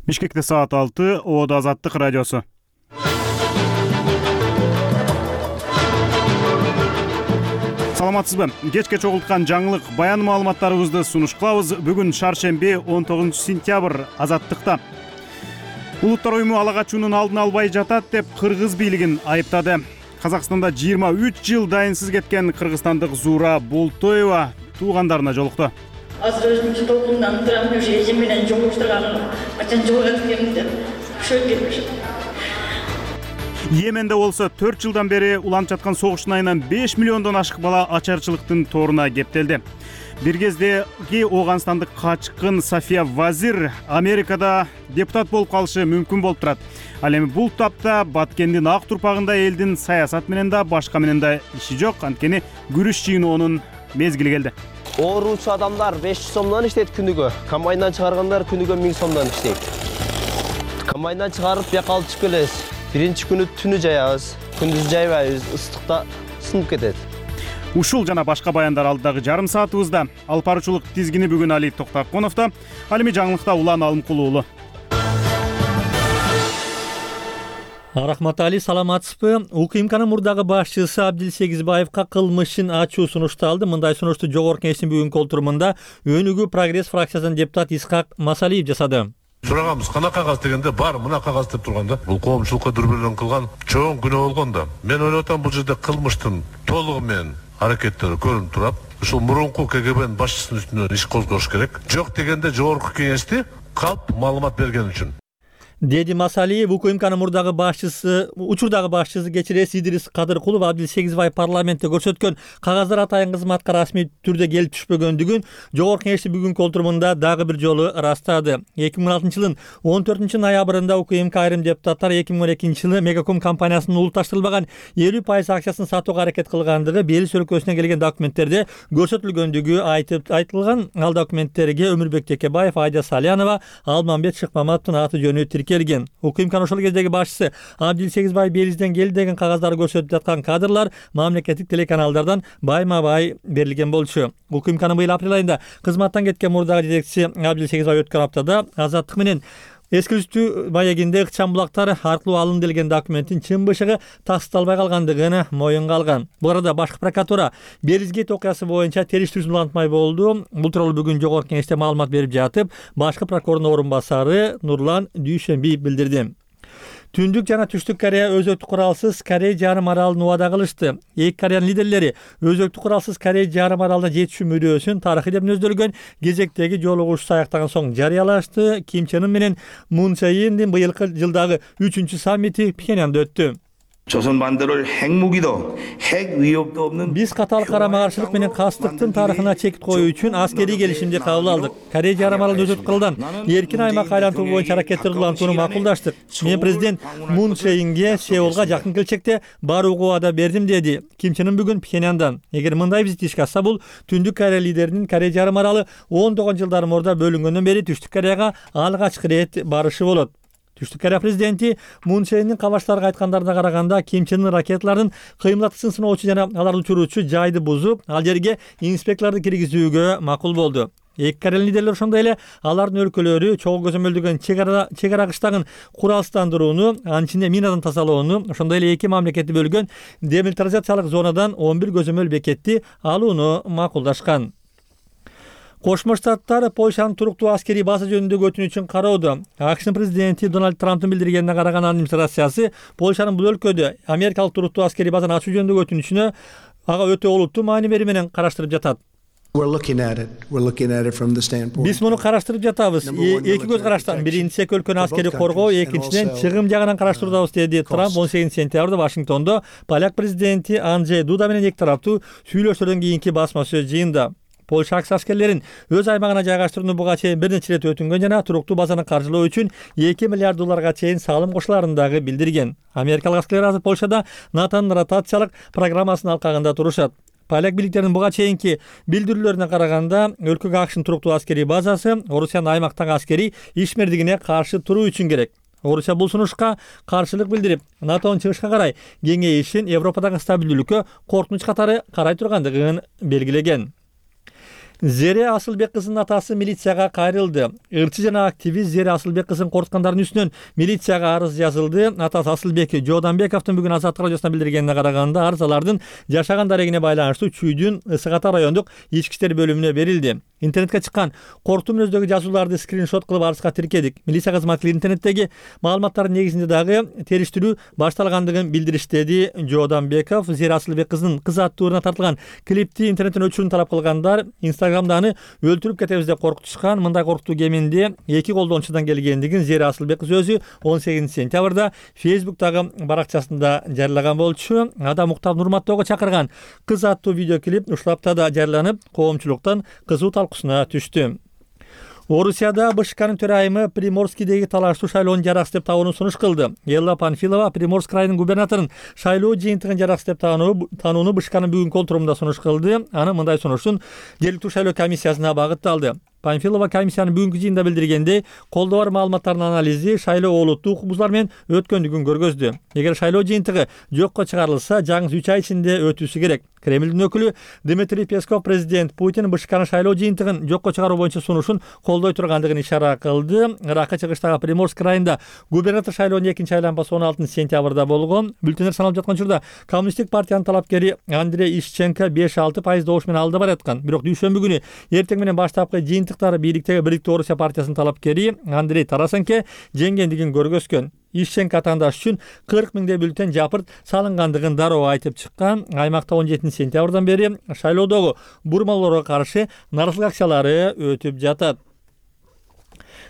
Бишкекте саат 6, Оодо Азаттык радиосу. Саламатсызбы? Кечке чогулткан жаңылык баян маалыматтарыбызды сунуш кылабыз. Бүгүн шаршемби 19 сентябрь. Азаттыкта Улуттар уюму ала качуунун алдын албай жатат деп кыргыз бийлигин айыптады. Казакстанда 23 жыл дайынсыз кеткен кыргызстандык Зуура Болтоева туугандарына жолукту. Азыр өзүмчү толкундан турам, ошо эжем менен жолуштурганым качан жолугат келди. Ошо келиш. Йеменде болсо 4 жылдан бери уланып жаткан согуштун айынан 5 миллиондон ашык бала ачарчылыктын торуна кептелди. Бир кездеги Ооганстандык качкын Сафия Вазир Америкада депутат болуп калышы мүмкүн болуп турат. Ал эми бул тапта Баткендин ак турпагында элдин саясат менен да башка менен да иши жок, анткени күрүш жыйноонун мезгили келди. Ооручу адамдар 500 сомдон иштейт күнүгө. Комбайндан чыгаргандар күнүгө 1000 сомдон иштейт. Комбайндан чыгарып бияка алып чыгып келебиз. Биринчи күнү түнү жаябыз, күндүз жайбайбыз, ыстыкта сынып кетет. Ушул жана башка баяндар алдыдагы жарым саатыбызда. Алып баруучулук тизгини бүгүн Али Токтоконовдо. Ал эми жаңылыкта Улан Алымкул уулу. Рахмат Али, саламатсызбы? УКМКнын мурдагы башчысы Абдил Сегизбаевка кылмышын ачуу сунушталды. Мындай сунушту Жогорку Кеңештин бүгүнкү отурумунда Өнүгүү Прогресс фракциясынын депутаты Исхак Масалиев жасады. Сурагамыз кана кагаз дегенде бар мына кагаз деп турганда бул коомчулукка дүрбөлөң кылган чоң күнөө болгондо мен ойлоп атам бул жерде кылмыштын толугу менен аракеттери көрүнүп турат. Ушул мурунку КГБнын башчысынын үстүнөн иш козгош керек. Жок дегенде Жогорку Кеңешти калп маалымат берген үчүн. Деди Масалиев, УКМКнын мурдагы башчысы, учурдагы башчысы кечирес Идирис Кадыркулов Абдил Сегизбаев парламентте көрсөткөн кагаздар атайын кызматка расмий түрдө келип түшпөгөндүгүн Жогорку Кеңештин бүгүнкү отурумунда дагы бир жолу ырастады. 2016-жылдын 14-ноябрында УКМК айрым депутаттар 2012-жылы Мегаком компаниясынын улутташтырылбаган 50% акчасын сатууга аракет кылгандыгы Белиз өлкөсүнөн келген документтерде көрсөтүлгөндүгү айтылган. Ал документтерге Өмүрбек Текебаев, Айда Салянова, Алмамбет Шыкмаматовдун аты жөнү келген. УКМКнын ошол кездеги башчысы Абдил Сегизбаев Белизден келди деген кагаздарды көрсөтүп жаткан кадрлар мамлекеттик телеканалдардан байма-бай берилген болчу. УКМКнын быйыл апрель айында кызматтан кеткен мурдагы жетекчиси Абдил Сегизбаев өткөн аптада Азаттык менен эски үстү маегинде ыкчам булактар аркылуу алынделген документтин чын бышыгы тасталбай калгандыгын моюнга алган. Бул арада башкы прокуратура Белизгейт окуясы боюнча териштирүүсүн улантмай болду. Бул тууралуу бүгүн Жогорку Кеңеште маалымат берип жатып, башкы прокурордун орун басары Нурлан Дүйшөнбиев билдирди. Түндүк жана Түштүк Корея өзөктүк куралсыз Корей жарым аралын убада кылышты. Эки Кореянын лидерлери өзөктүк куралсыз Корей жарым аралына жетишүү мүдөөсүн тарыхый деп мүнөздөлгөн кезектеги жолугушуу аяктаган соң жарыялашты. Ким Чен Ын менен Мун Чже Индин быйылкы жылдагы 3-чү саммити Пхеньянда өттү. 조선 반대로 핵무기도 핵 위협도 없는 Биз катаал карама-каршылык менен кастыктын тарыхына чек коюу үчүн аскерий келишимди кабыл алдык. Корей жарым аралын өзөктүк кырылдан эркин аймак айлантуу боюнча аракеттер улантууну макулдаштык. Мен президент Мун Чже Инге Сеулга жакын келечекте барууга убада бердим, деди Ким Чен Ын бүгүн Пхеньяндан. Эгер мындай визит ишке ашса, бул Түндүк Корея лидеринин Корей жарым аралы 10 жылдар мурда бөлүнгөндөн бери Түштүк Кореяга алгачкы ирет барышы болот. Түштүк Корея президенти Мун Чже Индин кабаштарга айткандарына караганда Ким Чен Ын ракеталардын кыймылдаткычын сыноочу жана аларды учуруучу жайды бузуп, ал жерге инспекторлорду киргизүүгө макул болду. Эки Корея лидерлери ошондой эле алардын өлкөлөрү чогуу көзөмөлдөгөн чек ара кыштагын куралсыздандырууну, анын ичинде минадан тазалоону, ошондой эле эки мамлекетти бөлгөн демилитаризациялык зонадан 11 көзөмөл бекетти алууну макулдашкан. Кошмо Штаттар Польшанын туруктуу аскерий база жөнүндөгү өтүнүчүн кароодо. АКШнын президенти Дональд Трамптын билдиргенине караган администрациясы Польшанын бул өлкөдө америкалык туруктуу аскерий базаны ачуу жөнүндөгү өтүнүчүнө ага өтө олуттуу маани бери менен караштырып жатат. Биз муну караштырып жатабыз. Эки көз караштан. Биринчиси эки өлкөнү аскерий коргоо, экинчиден чыгым жагынан караштыруудабыз, деди Трамп 18 сентябрда Вашингтондо поляк президенти Анджей Дуда менен эки тараптуу сүйлөшүүлөрдөн кийинки басма сөз жыйында. Польша аскерлерин өз аймагына жайгаштырууну буга чейин бир нече ирет өтүнгөн жана туруктуу базаны каржылоо үчүн 2 миллиард долларга чейин салым кошуларын дагы билдирген. Америкалык аскерлер азыр Польшада НАТОнун ротациялык программасынын алкагында турушат. Поляк бийликтеринин буга чейинки билдирүүлөрүнө караганда, өлкөгө АКШнын туруктуу аскерий базасы Орусиянын аймактагы аскерий ишмердигине каршы туруу үчүн керек. Орусия бул сунушка каршылык билдирип, НАТОнун чыгышка карай кеңейишин Европадагы стабилдүүлүккө коркунуч катары карай тургандыгын белгилеген. Зере Асылбек кызынын атасы милицияга кайрылды. Ырчы жана активист Зере Асылбек кызын коркуткандардын үстүнөн милицияга арыз жазылды. Атасы Асылбек Жооданбековдун бүгүн Азаттык радиосуна билдиргенине караганда арыз алардын жашаган дарегине байланыштуу Чүйдүн Ысык Ата райондук ички иштер бөлүмүнө берилди. Интернетке чыккан корктуу мүнөздөгү жазууларды скриншот кылып арызга тиркедик. Милиция кызматкерлери интернеттеги маалыматтардын негизинде дагы териштирүү башталгандыгын билдиришти, деди Жооданбеков. Зере Асылбек кызынын кыз аттууруна тартылган клипти интернеттен өчүрүүнү талап кылгандар Инстаграмда аны өлтүрүп кетебиз деп коркутушкан. Мындай коркутуу кеминде 2 колдонуучудан келгендигин Зере Асылбек кыз өзү 18 сентябрда Facebook'тагы баракчасында жарыялаган болчу. Адам уктап урматтоого чакырган кыз аттуу видеоклип ушул аптада жарыяланып, коомчулуктан кызуу талкуусуна түштү. Орусияда БШКнын төрайымы Приморскийдеги талаштуу шайлоону жараксыз деп табууну сунуш кылды. Элла Панфилова Приморск районунун губернаторун шайлоо жыйынтыгын жараксыз деп таанууну БШКнын бүгүнкү отурумунда сунуш кылды. Аны мындай сунуштун жергиликтүү шайлоо комиссиясына багытталды. Панфилова комиссиянын бүгүнкү жыйында билдиргендей, колдоо бар маалыматтардын анализи шайлоо олуттуу укук бузуулар менен өткөндүгүн көргөздү. Эгер шайлоо жыйынтыгы жокко чыгарылса, жаңы 3 ай ичинде өтүүсү керек. Кремлдин өкүлү Дмитрий Песков президент Путин БШКнын шайлоо жыйынтыгын жокко чыгаруу боюнча сунушун колдой тургандыгын ишара кылды. Ыракка чыгыштагы Приморск районунда губернатор шайлоонун экинчи айланмасы 16 сентябрда болгон. Бюллетендер саналып жаткан учурда Коммунисттик партиянын талапкери Андрей Ишченко 5-6% добуш менен алда бараткан. Бирок дүйшөмбү күнү эртең менен баштапкы жыйынтыктары бийликтүү Орусия партиясынын талапкери Андрей Тарасенко жеңгендигин көргөзгөн. Ишченко атаандаш үчүн 40 000 бюллетен жапырт салынгандыгын дароо айтып чыккан. Аймакта 17 сентябрдан бери шайлоодогу бурмалоорго каршы наразылык акциялары өтүп жатат.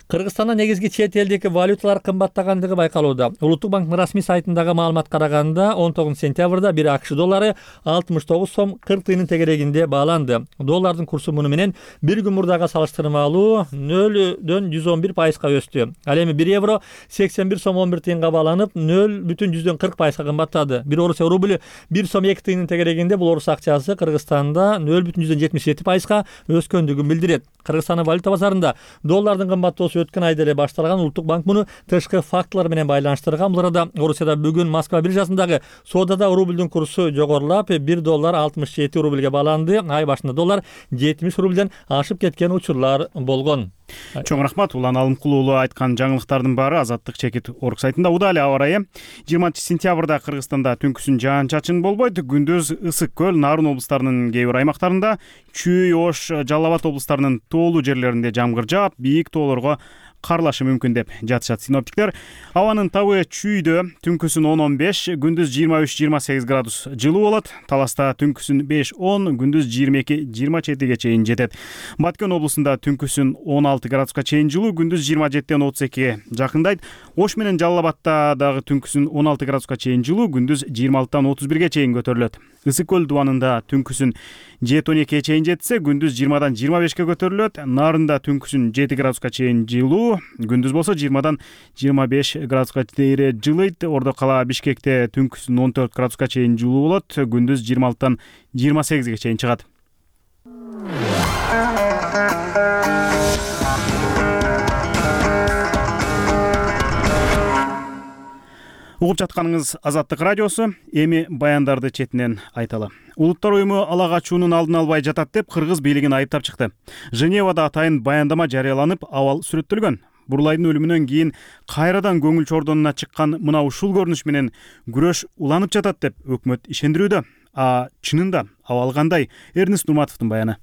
Кыргызстанда негизги чет элдик валюталар кымбаттагандыгы байкалууда. Улуттук банктын расмий сайтындагы маалыматка караганда 19 сентябрда 1 АКШ доллары 69 сом 40 тыйынын тегерегинде бааланды. Доллардын курсу муну менен бир күн мурдага салыштырмалуу 0,111%га өстү. Ал эми 1 евро 81 сом 11 тыйынга бааланып 0,40%га кымбаттады. 1 Орусия рублю 1 сом 2 тыйынын тегерегинде бул орус акчасы Кыргызстанда 0,77%га өскөндүгүн билдирет. Кыргызстандын валюта базарында доллардын кымбаттоосу өткөн айда эле башталган. Улуттук банк муну тышкы факторлор менен байланыштырган. Бул арада Орусияда бүгүн Москва биржасындагы соодада рублдун курсу жогорулап, 1 доллар 67 рубльге бааланды. Ай башында доллар 70 рубльден ашып кеткен учурлар болгон. Чоң рахмат. Улан Алымкулуу уулу айткан жаңылыктардын баары Азаттык чекит орг сайтында. Удали аба ырайы 20 сентябрда Кыргызстанда түнкүсүн жаан-чачын болбойт. Күндүз Ысык көл, Нарын облустарынын кээ бир аймактарында, Чүй, Ош, Жалал Абад облустарынын тоолуу жерлеринде жамгыр жаап, бийик тоолорго карлашы мүмкүн деп жатышат синоптиктер. Абанын табы Чүйдө түнкүсүн 10-15, күндүз 23-28 градус жылуу болот. Таласта түнкүсүн 5-10, күндүз 22-27 чейин жетет. Баткен облусунда түнкүсүн 16 градуска чейин жылуу, күндүз 27-ден 32 жакындайт. Ош менен Жалал Абадта дагы түнкүсүн 16 градуска чейин жылуу, күндүз 26-дан 31 чейин көтөрүлөт. Ысык көл дубанында түнкүсүн 7-12 чейин жетсе, күндүз 20-дан 25 көтөрүлөт. Нарында түнкүсүн 7 градуска чейин жылуу, күндүз болсо 20-дан 25 градуска чейин жылыйт. Ордо кала Бишкекте түнкүсүн 14 градуска чейин жылуу болот, күндүз 26-дан 28 чейин чыгат. Угуп жатканыңыз Азаттык радиосу. Эми баяндарды четинен айталы. Улуттар уюму ала качуунун алдын албай жатат деп кыргыз бийлигин айыптап чыкты. Женевада атайын баяндама жарыяланып, абал сүрөттөлгөн. Бурлайдын өлүмүнөн кийин кайрадан көңүл чордонуна чыккан мына ушул көрүнүш менен күрөш уланып жатат деп өкмөт ишендирүүдө. Чынында абал кандай? Эрнест Нурматовдун баяны.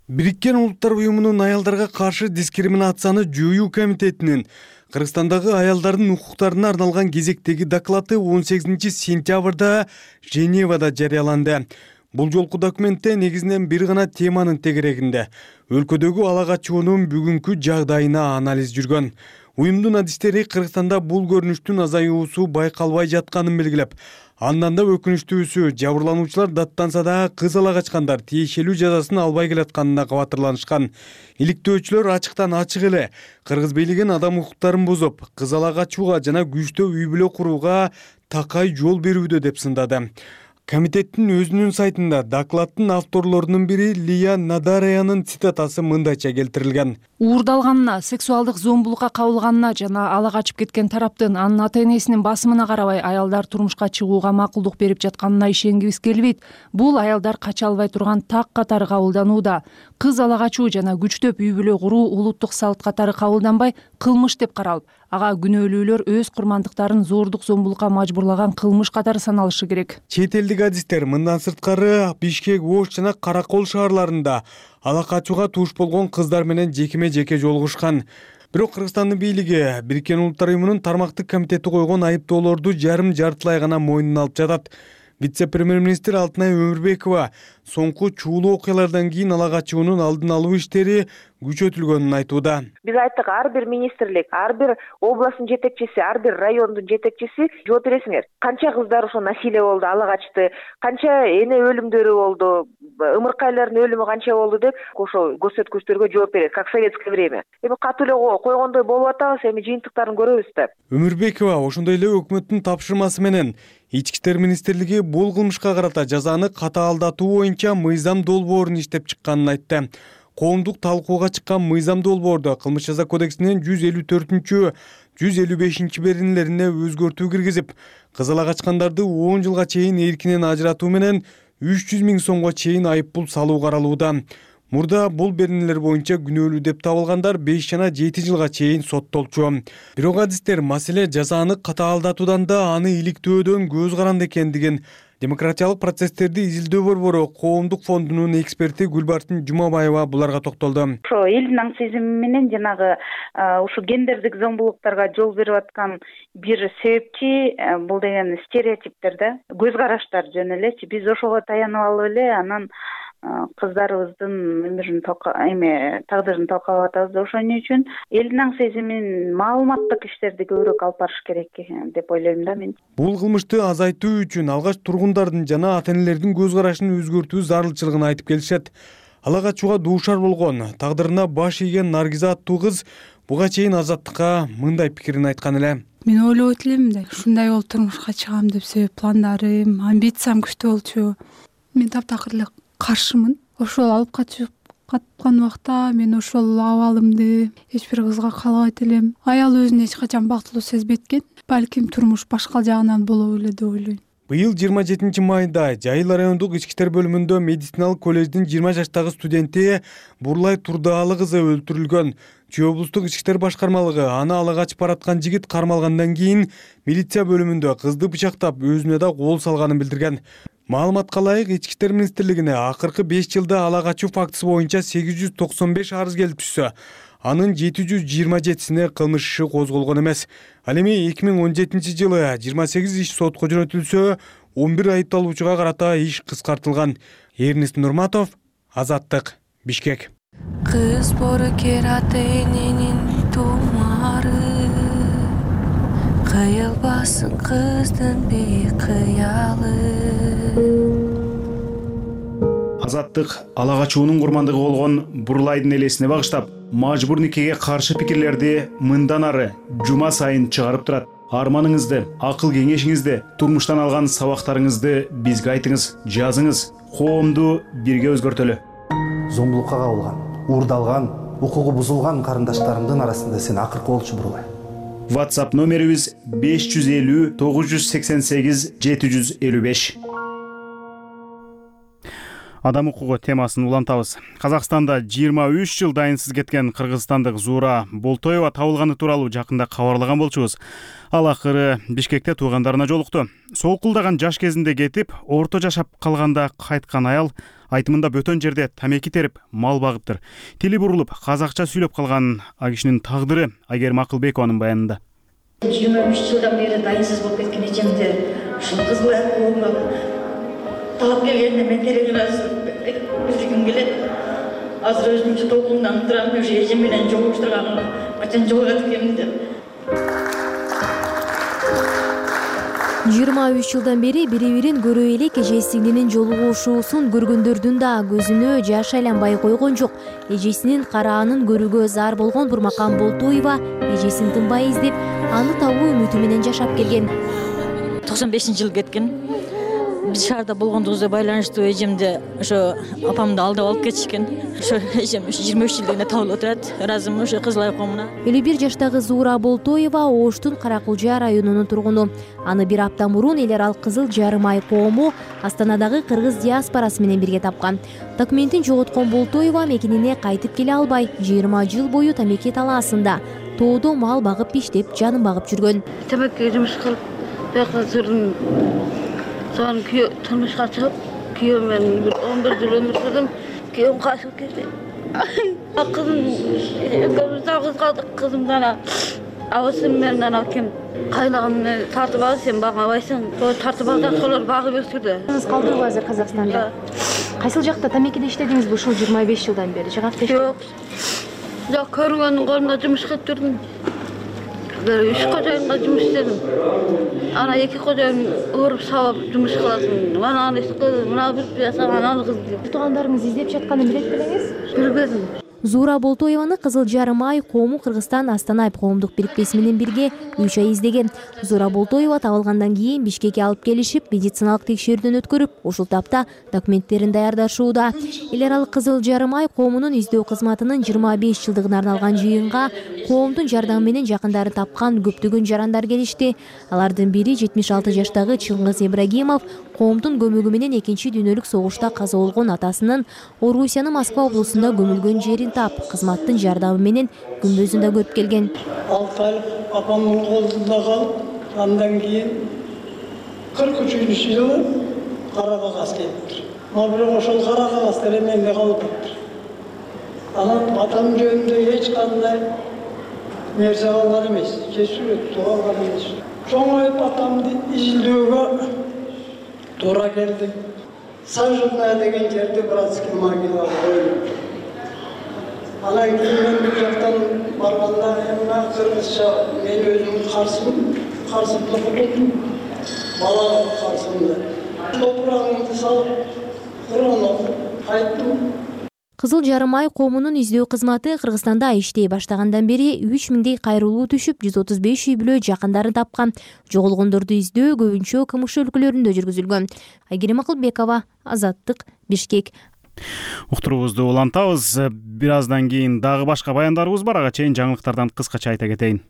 Бириккен Улуттар уюмунун аялдарга каршы дискриминацияны жоюу комитетинин Кыргызстандагы аялдардын укуктарына арналган кезектеги доклады 18 сентябрда Женевада жарыяланды. Бул жолку документте негизинен бир гана теманын тегерегинде өлкөдөгү ала качуунун бүгүнкү жагдайына анализ жүргөн. Уюмдун адистери Кыргызстанда бул көрүнүштүн азаюусу байкалбай жатканын белгилеп, андан да өкүнүчтүүсү жабырлануучулар даттанса да кыз ала качкандар тиешелүү жазасын албай келатканына кабатырланышкан. Иликтөөчүлөр ачыктан ачык эле кыргыз бийлигин адам укуктарын бузуп, кыз ала качууга жана күчтөө үй бүлө курууга такай жол берүүдө деп сындады. Комитеттин өзүнүн сайтында докладдын авторлорунун бири Лия Надараянын цитатасы мындайча келтирилген. Уурдалганына, сексуалдык зомбулукка кабылганына жана ала качып кеткен тараптын анын ата-энесинин басымына карабай аялдар турмушка чыгууга макулдук берип жатканына ишенгибиз келбейт. Бул аялдар кача албай турган так катары кабылданууда. Кыз ала качуу жана күчтөп үй бүлө куруу улуттук салт катары кабылданбай, кылмыш деп каралып, ага күнөөлүүлөр өз курмандыктарын зордук зомбулукка мажбурлаган кылмыш катары саналышы керек. Чет элдик адистер мындан сырткары Бишкек, Ош жана Каракол шаарларында ала качууга туш болгон кыздар менен жекеме-жеке жолугушкан. Бирок Кыргызстандын бийлиги Бириккен Улуттар Уюмунун тармактык комитети койгон айыптоолорду жарым-жартылай гана мойнуна алып жатат. Вице-премьер-министр Алтынай Өмүрбекова соңку чуулуу окуялардан кийин ала качуунун алдын алуу иштери күчөтүлгөнүн айтууда. Биз айттык, ар бир министрлик, ар бир областтын жетекчиси, ар бир райондун жетекчиси жооп бересиңер. Канча кыздар ошо насилие болду, ала качты, канча эне өлүмдөрү болду, ымыркайлардын өлүмү канча болду деп ошо көрсөткүчтөргө жооп берет, как в советское время. Эми катуу эле койгондой болуп атабыз, эми жыйынтыктарын көрөбүз да. Өмүрбекова ошондой эле өкмөттүн тапшырмасы менен Ички иштер министрлиги бул кылмышка карата жазаны катаалдатуу боюнча мыйзам долбоорун иштеп чыкканын айтты. Коомдук талкууга чыккан мыйзам долбоордо кылмыш жаза кодексинин 154, 155 беренелерине өзгөртүү киргизип, кыз ала качкандарды 10 жылга чейин эркинен ажыратуу менен 300 000 сомго чейин айыппул салуу каралууда. Мурда бул беренелер боюнча күнөөлүү деп табылгандар 5 жана 7 жылга чейин соттолчу. Бирок адистер маселе жазаны катаалдатуудан да аны иликтөөдөн көз каранды экендигин демократиялык процесстерди изилдөө борбору Коомдук фондунун эксперти Гүлбарчын Жумабаева буларга токтолду. Ошо элдин аң сезими менен жанагы ушу гендердик зомбулуктарга жол берип аткан бир себепчи бул деген стереотиптер да, көз караштар жөн элечи. Биз ошого таянып алып эле анан кыздарыбыздын тагдырын талкалап атабыз. Ошон үчүн элдин аң сезимин маалыматтык иштерди көбүрөөк алып барыш керек деп ойлойм да мен. Бул кылмышты азайтуу үчүн алгач тургундардын жана ата-энелердин көз карашын өзгөртүү зарылчылыгын айтып келишет. Ала качууга дуушар болгон, тагдырына баш ийген Наргиза аттуу кыз буга чейин Азаттыкка мындай пикирин айткан эле. Мен ойлоп элем да, ушундай болуп турмушка чыгам деп себеп пландарым, амбициям күчтүү болчу. Мен таптакыр эле каршымын. Ошол алып качып каткан убакта мен ошол абалымды эч бир кызга каалабайт элем. Аял өзүн эч качан бактылуу сезбейт экен. Балким турмуш башка жагынан болобу эле деп ойлойм. Быйыл 27 майда Жайыл райондук ички иштер бөлүмүндө медициналык колледждин 20 жаштагы студенти Бурлай Турдаалы кызы өлтүрүлгөн. Чүй облустук ички иштер башкармалыгы аны ала качып бараткан жигит кармалгандан кийин милиция бөлүмүндө кызды бычактап өзүнө да кол салганын билдирген. Маалыматка ылайык, Ички иштер министрлигине акыркы 5 жылда ала качуу фактысы боюнча 895 арыз келип түшсө, анын 727сине кылмыш иши козголгон эмес. Ал эми 2017 жылы 28 иш сотко жөнөтүлсө, 11 айыпталуучуга карата иш кыскартылган. Эрнест Нурматов, Азаттык, Бишкек. Кыз бору кератенинин тумары, кыйылбасын кыздын бейкыялы. Азаттык ала качуунун курмандыгы болгон Бурлайдын элесине багыштап, мажбур никеге каршы пикирлерди мындан ары жума сайын чыгарып турат. Арманыңызды, акыл кеңешиңизди, турмуштан алган сабактарыңызды бизге айтыңыз, жазыңыз. Коомду бирге өзгөртөлү. Зомбулукка кабылган, уурдалган, укугу бузулган карындаштарымдын арасында сен акыркы болчу Бурлай. WhatsApp номерибиз 550 988 755. Адам укугу темасын улантабыз. Казакстанда 23 жыл дайынсыз кеткен кыргызстандык Зуура Болтоева табылганы тууралуу жакында кабарлаган болчубуз. Ал акыры Бишкекте туугандарына жолукту. Солкулдаган жаш кезинде кетип, орто жашап калганда кайткан аял айтымында бөтөн жерде тамеки терип, мал багыптыр. Тили бурулуп, казакча сүйлөп калган а кишинин тагдыры Айгерим Акылбекованын баянында. 23 жылдан бери дайынсыз болуп кеткен эжемди ушул кыз коомго талап келгенде мен телеграф билдиргим келет. Азыр өзүмчө толкундан турам, уже эжем менен жолугуштурганым качан жолугат экенмин деп. 23 жылдан бери бири-бирин көрө элек эжесинин жолугушуусун көргөндөрдүн да көзүнө жаш айланбай койгон жок. Эжесинин караанын көрүүгө зар болгон Бурмакан Болтоева эжесин тынбай издеп, аны табуу үмүтү менен жашап келген. 95 жыл кеткен. Биз шаарда болгондугубузга байланыштуу эжемди ошо апамды алдап алып кетишкен. Ошо эжем 23 жылдыгына табылып отурат. Ыраазымын ошо Кызыл Ай коомуна. 51 жаштагы Зуура Болтоева Оштун Каракулжа районунун тургуну. Аны бир апта мурун эл аралык Кызыл Жарым Ай коому Астанадагы кыргыз диаспорасы менен бирге тапкан. Документин жоготкон Болтоева мекенине кайтып келе албай, 20 жыл бою Тамеки талаасында тоодо мал багып иштеп, жанын багып жүргөн. Тамекиге жумуш кылып, бияка жүрдүм. Соң турмушка чыгып, күйөөм менен 11 жыл өмүр сүрдүм. Күйөөм качып кетти. Кызым, экөөбүз жалгыз калдык. Кызым гана абысым менен анан ким кайнагамды тартып алды, сен багабайсың. Сол тартып алды, солар багып өстүрдү. Сиз калдыңызбы азыр Казакстанда? Кайсыл жакта Тамекиде иштедиңизби ушул 25 жылдан бери? Жок, көргөнүн колунда жумуш кылып жүрдүм. Бир 3 кожоюнга жумуш иштедим. Ана 2 кожоюн ооруп сабап жумуш кылатын. Мана аны кыз, мына бир пияса, аны кыз деп. Туугандарыңыз издеп жатканын билет белеңиз? Билбедим. Зуура Болтоеваны Кызыл Жарым Ай коому Кыргызстан Астана коомдук бириктеси менен бирге 3 ай издеген. Зуура Болтоева табылгандан кийин Бишкекке алып келишип, медициналык текшерүүдөн өткөрүп, ушул тапта документтерин даярдашууда. Эл аралык Кызыл Жарым Ай коомунун издөө кызматынын 25 жылдыгына арналган жыйынга коомдун жардамы менен жакындарын тапкан көптөгөн жарандар келишти. Алардын бири 76 жаштагы Чыңгыз Ибрагимов коомдун көмөгү менен Экинчи дүйнөлүк согушта каза болгон атасынын Орусиянын Москва облусунда көмүлгөн жерин тап, кызматтын жардамы менен күнбөзүн да көрүп келген. 6 айлык апамдын колунда калып, андан кийин 43 жылы кара кагаз келиптир. Бирок ошол кара кагаз деле менде калып атат. Анан атам жөнүндө эч кандай нерсе калган эмес, кесүүрөт калган эмес. Чоңоюп атамды изилдөөгө туура келди. Сажевная деген жерде братский могила коюлуптур. Анан кийин мен бул жактан барганда эми кыргызча мен өзүм карсымды кутуп, бала карсымды. Топурагымды салып, Кур'ан окуп кайттым. Кызыл Жарым Ай коомунун издөө кызматы Кыргызстанда иштей баштагандан бери 3000 кайрылуу түшүп, 135 үй бүлө жакындарын тапкан. Жоголгондорду издөө көбүнчө КМШ өлкөлөрүндө жүргүзүлгөн. Айгерим Акылбекова, Азаттык, Бишкек. Уктуруубузду улантабыз. Бир аздан кийин дагы башка баяндарыбыз бар. Ага чейин жаңылыктардан кыскача айта кетейин.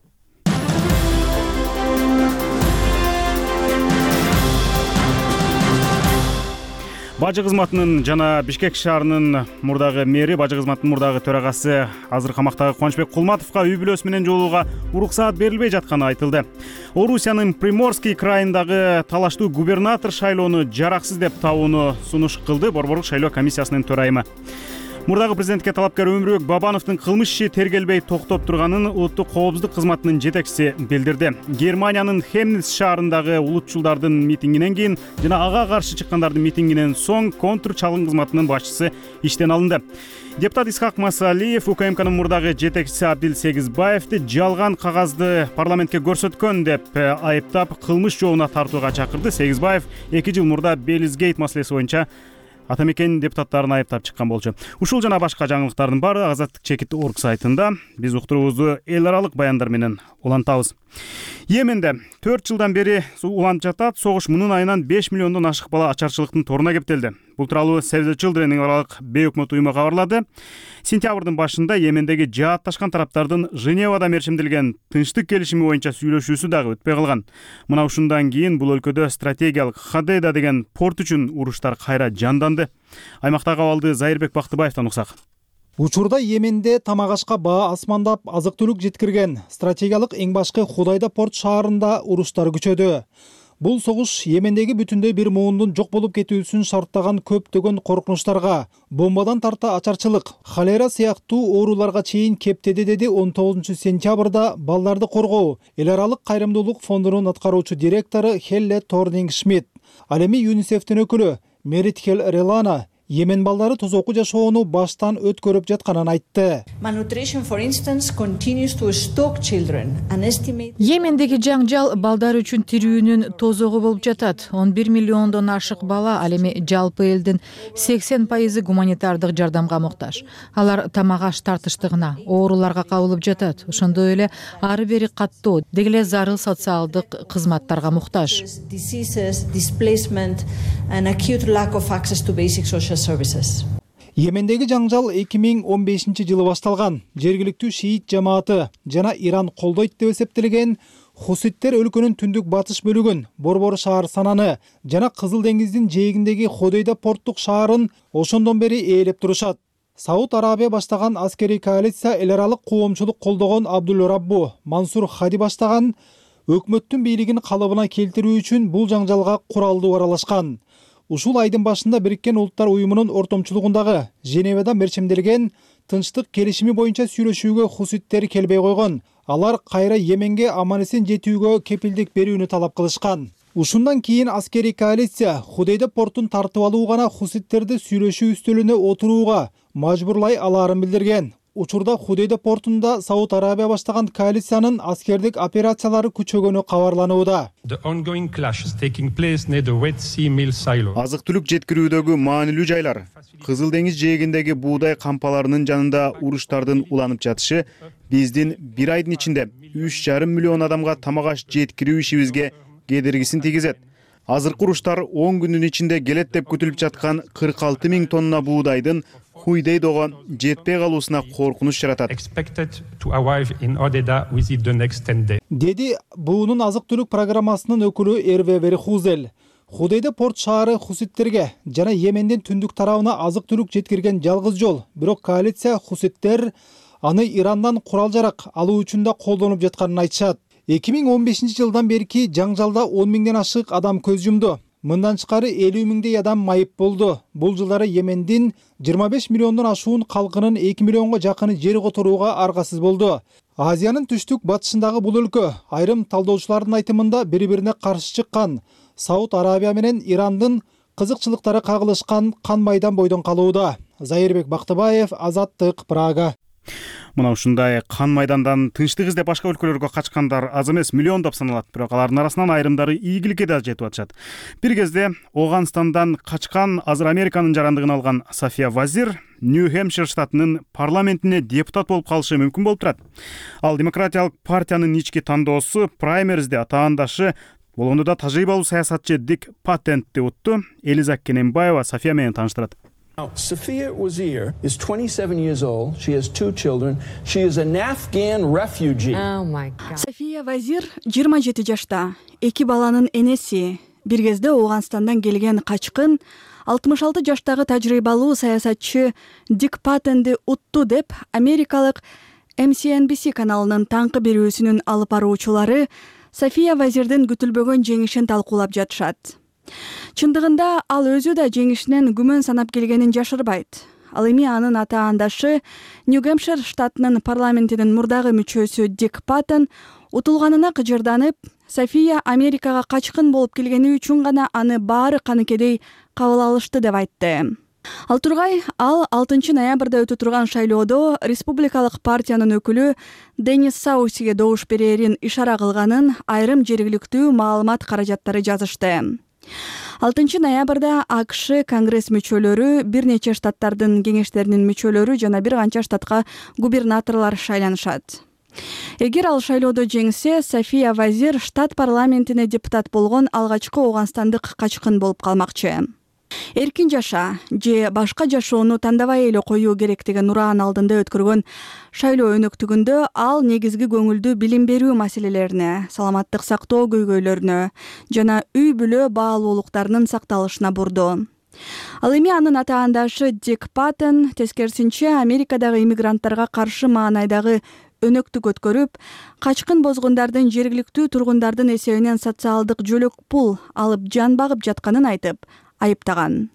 Бажы кызматынын жана Бишкек шаарынын мурдагы мэри, бажы кызматынын мурдагы төрагасы азыр камактагы Кубанычбек Кулматовго үй бүлөсү менен жолугууга уруксаат берилбей жатканы айтылды. Орусиянын Приморский крайындагы талаштуу губернатор шайлоону жараксыз деп табууну сунуш кылды Борборлук шайлоо комиссиясынын төрайымы. Мурдагы президентке талапкер Өмүрбек Бабановдун кылмыш иши тергелбей токтоп турганын улуттук коопсуздук кызматынын жетекчиси билдирди. Германиянын Хемниц шаарындагы улутчулдардын митингинен кийин жана ага каршы чыккандардын митингинен соң контр чалгын кызматынын башчысы иштен алынды. Депутат Исхак Масалиев УКМКнын мурдагы жетекчиси Абдил Сегизбаевди жалган кагазды парламентке көрсөткөн деп айыптап, кылмыш жообуна тартууга чакырды. Сегизбаев 2 жыл мурда Белизгейт маселеси боюнча Атамекен депутаттарын айыптап чыккан болчу. Ушул жана башка жаңылыктардын баары Азаттык чекит орг сайтында. Биз уктуруубузду эл аралык баяндар менен улантабыз. Йеменде 4 жылдан бери уланып жатат. Согуш мунун айынан 5 миллиондон ашык бала ачарчылыктын торуна кептелди. Бул тууралуу Save the Children аралык бейөкмөт уюму кабарлады. Сентябрдын башында Йемендеги жаатташкан тараптардын Женевада мерчимдилген тынчтык келишими боюнча сүйлөшүүсү дагы өтпөй калган. Мына ушундан кийин бул өлкөдө стратегиялык Хадейда деген порт үчүн уруштар кайра жанданды. Аймактагы абалды Зайырбек Бактыбаевден уксак. Учурда Йеменде тамак ашка баа асмандап азык-түлүк жеткирген стратегиялык эң башкы Худайда порт шаарында уруштар күчөдү. Бул согуш Йемендеги бүтүндөй бир муундун жок болуп кетүүсүн шарттаган көптөгөн коркунучтарга, бомбадан тарта ачарчылык, холера сыяктуу ооруларга чейин кептеди, деди 19 сентябрда балдарды коргоо эл аралык кайрымдуулук фондунун аткаруучу директору Хелле Торнинг Шмидт. Ал эми ЮНИСЕФтин өкүлү Мерит Хел Релана Йемен балдары тозоку жашоону баштан өткөрүп жатканын айтты. Malnutrition, for instance, continues to stalk children. An estimate... Йемендеги жаңжал балдар үчүн тирүүнүн тозогу болуп жатат. 11 миллиондон ашык бала, ал эми жалпы элдин 80% гуманитардык жардамга муктаж. Алар тамак аш тартыштыгына, ооруларга кабылып жатат. Ошондой эле ары бери каттоо, деги эле зарыл социалдык кызматтарга муктаж. Diseases, displacement and acute lack of access to basic social services. Йемендеги жаңжал 2015 жылы башталган. Жергиликтүү шиит жамааты жана Иран колдойт деп эсептелген хуситтер өлкөнүн түндүк батыш бөлүгүн, Борбор шаар Сананы жана Кызыл деңиздин жээгиндеги Ходейда порттук шаарын ошондон бери ээлеп турушат. Сауд Арабия баштаган аскерий коалиция эл аралык коомчулук колдогон Абдул Раббу Мансур Хади баштаган өкмөттүн бийлигин калыбына келтирүү үчүн бул жаңжалга куралдуу аралашкан. Ушул айдын башында Бириккен Улуттар уюмунун ортомчулугундагы Женевада мерчемделген тынчтык келишими боюнча сүйлөшүүгө хуситтер келбей койгон. Алар кайра Йеменге аман-эсен жетүүгө кепилдик берүүнү талап кылышкан. Ушундан кийин аскерий коалиция Ходейда портун тартып алуу гана хуситтерди сүйлөшүү үстөлүнө отурууга мажбурлай алаарын билдирген. Учурда Ходейда портунда Сауд Арабия баштаган коалициянын аскердик операциялары күчөгөнү кабарланууда. Азык-түлүк жеткирүүдөгү маанилүү жайлар, Кызыл деңиз жээгиндеги буудай кампаларынын жанында уруштардын уланып жатышы биздин бир айдын ичинде 3,5 миллион адамга тамак аш жеткирүү ишибизге кедергисин тийгизет. Азыркы уруштар 10 күндүн ичинде келет деп күтүлүп жаткан 46 000 тонна буудайдын Хуйдейдого жетпей калуусуна коркунуч жаратат. Деди буунун азык-түлүк программасынын өкүлү Эрве Верхузел. Худейда порт шаары хуситтерге жана Йемендин түндүк тарабына азык-түлүк жеткирген жалгыз жол. Бирок коалиция хуситтер аны Ирандан курал-жарак алуу үчүн да колдонуп жатканын айтышат. 2015 жылдан берки жаңжалда 10 миңден ашык адам көз жумду. Мындан тышкары 50 миңдей адам майып болду. Бул жылдары Йемендин 25 миллиондон ашуун калкынын 2 миллионго жакыны жер которууга аргасыз болду. Азиянын түштүк батышындагы бул өлкө айрым талдоочулардын айтымында бири-бирине каршы чыккан Сауд Арабия менен Ирандын кызыкчылыктары кагылышкан кан майдан бойдон калууда. Зайырбек Бактыбаев, Азаттык, Прага. Мына ушундай кан майдандан тынчтык издеп башка өлкөлөргө качкандар аз эмес, миллиондоп саналат. Бирок алардын арасынан айрымдары ийгиликке да жетип атышат. Бир кезде Оганстандан качкан, азыр Американын жарандыгын алган Сафия Вазир Нью-Хэмпшир штатынын парламентине депутат болуп калышы мүмкүн болуп турат. Ал демократиялык партиянын ички тандоосу праймеризде атаандашы болгондо да тажрыйбалуу саясатчы Дик Паттентти утту. Элиза Кененбаева София менен тааныштырат. Safia Wazir is 27 years old. She has 2 children. She is an Afghan refugee. Oh my God. Safia Wazir 27 жашта. 2 баланын энеси. Бир кезде Оганстандан келген качкын 66 жаштагы тажрыйбалуу саясатчы Дик Паттентти утту деп америкалык MSNBC каналынын таңкы берүүсүнүн алып баруучулары Сафия Вазирдин күтүлбөгөн жеңишин талкуулап жатышат. Чындыгында ал өзү да жеңишинен күмөн санап келгенин жашырбайт. Ал эми анын атаандашы Нью-Гэмпшир штатынын парламентинин мурдагы мүчөсү Дик Паттен утулганына кыжырданып, София Америкага качкын болуп келгени үчүн гана аны баары каныкедей кабыл алышты деп айтты. Ал тургай, ал 6 ноябрда өтө турган шайлоодо республикалык партиянын өкүлү Денис Саусиге добуш берерин ишара кылганын айрым жергиликтүү маалымат каражаттары жазышты. 6 ноябрда АКШ Конгресс мүчөлөрү, бир нече штаттардын кеңештеринин мүчөлөрү жана бир канча штатка губернаторлор шайланышат. Эгер ал шайлоодо жеңсе, София Вазир штат парламентине депутат болгон алгачкы оганстандык качкын болуп калмакчы. Эркин жаша же башка жашоону тандабай эле коюу керектигин ураан алдында өткөргөн шайлоо өнөктүгүндө ал негизги көңүлдү билим берүү маселелерине, саламаттык сактоо көйгөйлөрүнө жана үй бүлө баалуулуктарынын сакталышына бурду. Ал эми анын атаандашы Дик Паттен тескерисинче Америкадагы иммигранттарга каршы маанайдагы өнөктүк өткөрүп, качкын бозгундардын жергиликтүү тургундардын эсебинен социалдык жөлөк пул алып жан багып жатканын айтып айыптаган.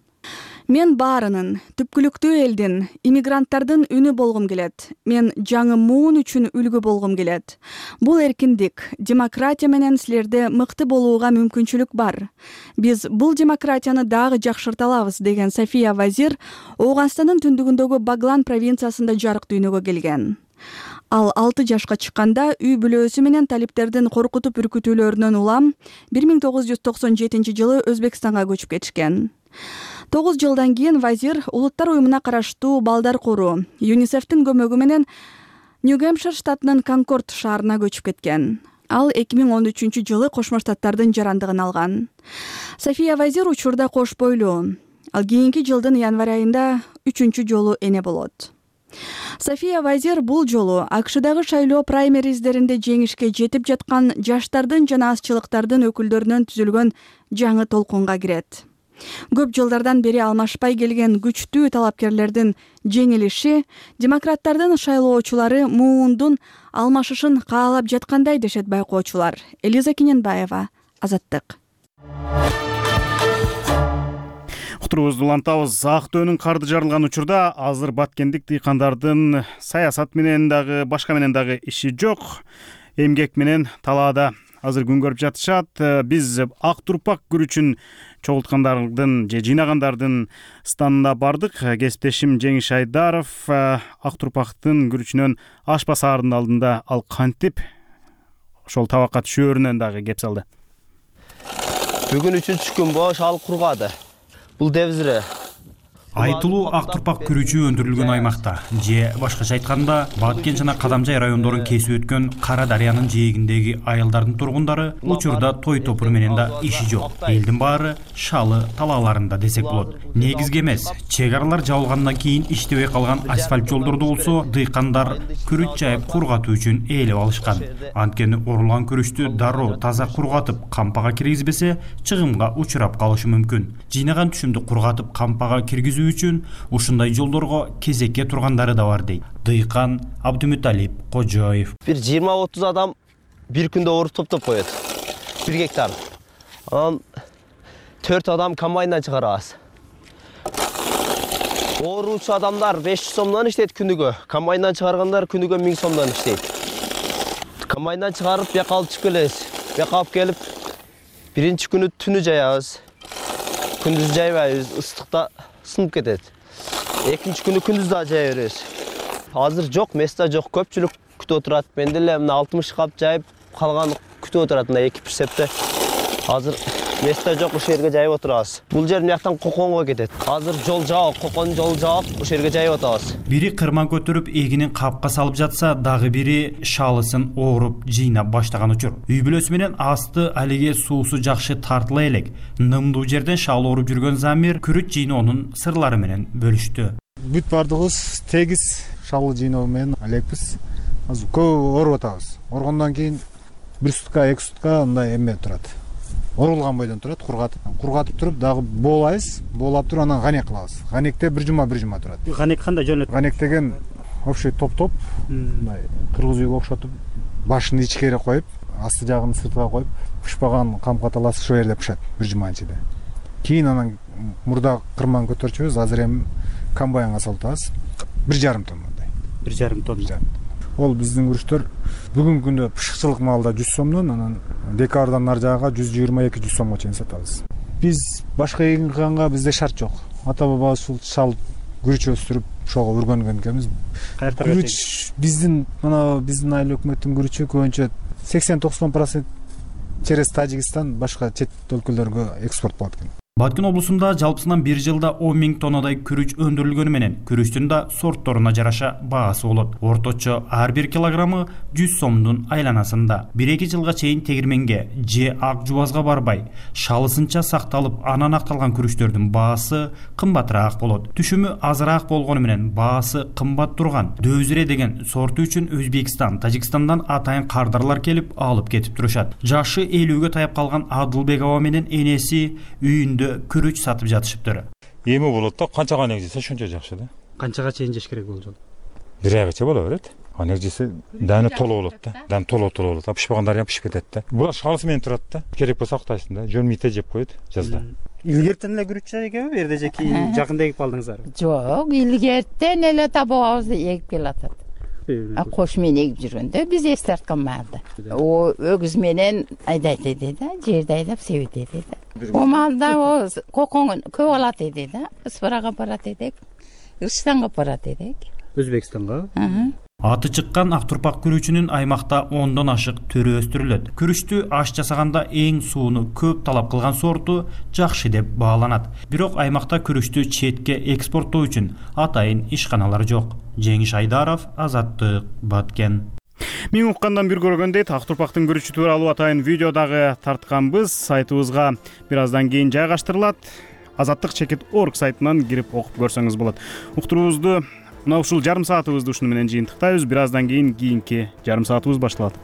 Мен баарынын, түпкүлүктүү элдин, иммигранттардын үнү болгум келет. Мен жаңы муун үчүн үлгү болгум келет. Бул эркиндик, демократия менен силерде мыкты болууга мүмкүнчүлүк бар. Биз бул демократияны дагы жакшырта алабыз, деген София Вазир Ооганстандын түндүгүндөгү Баглан провинциясында жарык дүйнөгө келген. Ал 6 жашка чыкканда үй бүлөөсү менен талиптердин коркутуп үркүтүүлөрүнөн улам 1997 жылы Өзбекстанга көчүп кетишкен. 9 жылдан кийин Вазир Улуттар уюмуна караштуу балдар кору ЮНИСЕФтин көмөгү менен Нью-Гэмпшир штатынын Конкорд шаарына көчүп кеткен. Ал 2013 жылы Кошмо Штаттардын жарандыгын алган. София Вазир учурда кош бойлуу. Ал кийинки жылдын январь айында 3-чү жолу эне болот. София Вазир бул жолу АКШдагы шайлоо праймериздеринде жеңишке жетип жаткан жаштардын жана азчылыктардын өкүлдөрүнөн түзүлгөн жаңы толкунга кирет. Көп жылдардан бери алмашпай келген күчтүү талапкерлердин жеңилиши демократтардын шайлоочулары муундун алмашышын каалап жаткандай дешет байкоочулар. Элиза Кененбаева, Азаттык. Уктуруубузду улантабыз. Актөөнүн карды жарылган учурда азыр баткендик дыйкандардын саясат менен дагы башка менен дагы иши жок. Эмгек менен талаада азыр күн көрүп жатышат. Биз ак турпак күрүчүн чогулткандардын же жыйнагандардын станына бардык. Кесиптешим Жеңиш Айдаров ак турпактын күрүчүнөн аш базарынын алдында ал кантип ошол табакка түшөөрүнөн дагы кеп салды. Бүгүн 3-чү күн бош ал кургады. Бул дебизре Айтылуу ак турпак күрүчү өндүрүлгөн аймакта же башкача айтканда Баткен жана Кадамжай райондорун кесип өткөн Кара Дарыянын жээгиндеги айылдардын тургундары учурда той топур менен да иши жок. Элдин баары шалы талааларында десек болот. Негизги эмес, чек аралар жабылгандан кийин иштебей калган асфальт жолдорду болсо дыйкандар күрүч жайып кургатуу үчүн ээлеп алышкан. Анткени орулган күрүчтү дароо таза кургатып кампага киргизбесе чыгымга учурап калышы мүмкүн. Жыйнаган түшүмдү кургатып кампага киргизүү үчүн ушундай жолдорго кезекке тургандары да бар дейт дыйкан Абдумуталип Кожоев. Бир 20-30 адам бир күндө оруп топтоп коет. 1 гектар. Анан 4 адам комбайндан чыгарабыз. Ооручу адамдар 500 сомдон иштейт күнүгө. Комбайндан чыгаргандар күнүгө 1000 сомдон иштейт. Комбайндан чыгарып бияка алып чыгып келебиз. Бияка алып келип биринчи күнү түнү жаябыз. Күндүз жайбайбыз, ыстыкта сынып кетет. Экинчи күнү күндүз да жая беребиз. Азыр жок, места жок, көпчүлүк күтүп отурат. Мен деле мына 60 кап жайып калган күтүп отурат мына 2 прицепте. Азыр места жок, ошол жерге жайып отурабыз. Бул жер мыяктан Коконго кетет. Азыр жол жабык, Кокон жол жабык, ошол жерге жайып атабыз. Бири кырман көтөрүп эгинин капка салып жатса, дагы бири шалысын ооруп жыйнап баштаган учур. Үй бүлөсү менен асты алиге суусу жакшы тартыла элек. Нымдуу жерден шал ооруп жүргөн Замир күрүч жыйноонун сырлары менен бөлүштү. Бүт бардыгыбыз тегиз шалы жыйноо менен алекпиз. Азыр көп ооруп атабыз. Оргондон кийин 1 сутка, 2 сутка мындай эме турат. Орулган бойдон турат, кургатып туруп дагы боолайбыз. Боолап туруп анан ганек кылабыз. Ганекте 1 жума турат. Ганек кандай жөнөт? Ганек деген общий топ-топ, мындай кыргыз үйгө окшотуп, башын ичкери коюп, асты жагын сыртка коюп, пышпаган камка таласы ошол жерде пышат 1 жума ичинде. Кийин анан мурда кырман көтөрчүбүз, азыр эми комбайнга салып 1,5 тоннадай. 1,5 тонна. Ол биздин күрүчтөр бүгүнкү күндө пышыкчылык маалда 100 сомдон, анан декабрдан нар жагага 122-100 сомго чейин сатабыз. Биз башка эгин кылганга бизде шарт жок. Ата бабабыз ушул шал күрүч өстүрүп, ошого үргөнгөн экенбиз. Күрүч биздин айыл өкмөттүн күрүчү көбүнчө 80-90% через Тажикстан башка чет өлкөлөргө экспорт болот экен. Баткен облусунда жалпысынан 1 жылда 10 000 тоннадай күрүч өндүрүлгөнү менен күрүчтүн да сортторуна жараша баасы болот. Орточо ар 1 килограммы 100 сомдун айланасында. 1-2 жылга чейин тегирменге же ак жубазга барбай, шалысынча сакталып, анан акталган күрүчтөрдүн баасы кымбатыраак болот. Түшүмү азыраак болгону менен баасы кымбат турган Дөзүре деген сорту үчүн Өзбекстан, Тажикстандан атайын кардарлар келип алып кетип турушат. Жашы 50-ге таяп калган Адылбекова менен энеси үйүндө күрүч сатып жатышыптыр. Эми болот да, канча ганек жесе ошончо жакшы да. Канчага чейин жеш керек бул жол? 1 айга боло берет. негизгиси дәни толуу болот да. Дәни толуу болот. Пишпагандары пишип кетет да. Булар шалысы менен турат да. Керек болсо актайсың да. Жөн мите жеп коет жазда. Илгертен эле күрүччү экенби? Бу жерде же кийин жакында эгип калдыңыздарбы? Жок, илгертен эле табагыбызды эгип келатат. Кош менен эгип жүргөндө биз эс тарткан маалда. Өгүз менен айдайт эди да, жерди айдап себет эди да. О маалда кокоң көп алат эди да. Ыспырага барат эдик. Кыргызстанга барат эдик. Өзбекстанга? Аты чыккан ак турпак күрүчүнүн аймакта 10дон ашык түрү өстүрүлөт. Күрүчтү аш жасаганда эң сууну көп талап кылган сорту жакшы деп бааланат. Бирок аймакта күрүчтү четке экспорттоо үчүн атайын ишканалар жок. Жеңиш Айдаров, Азаттык, Баткен. Мен уккандан бир көргөндөй ак турпактын күрүчү тууралуу атайын видео дагы тартканбыз. Сайтыбызга бир аздан кийин жайгаштырылат. Азаттык.org сайтынан кирип окуп көрсөңүз болот. Уктуруубузду мына ушул жарым саатыбызды ушуну менен жыйынтыктайбыз. Бир аздан кийин кийинки жарым саатыбыз башталат.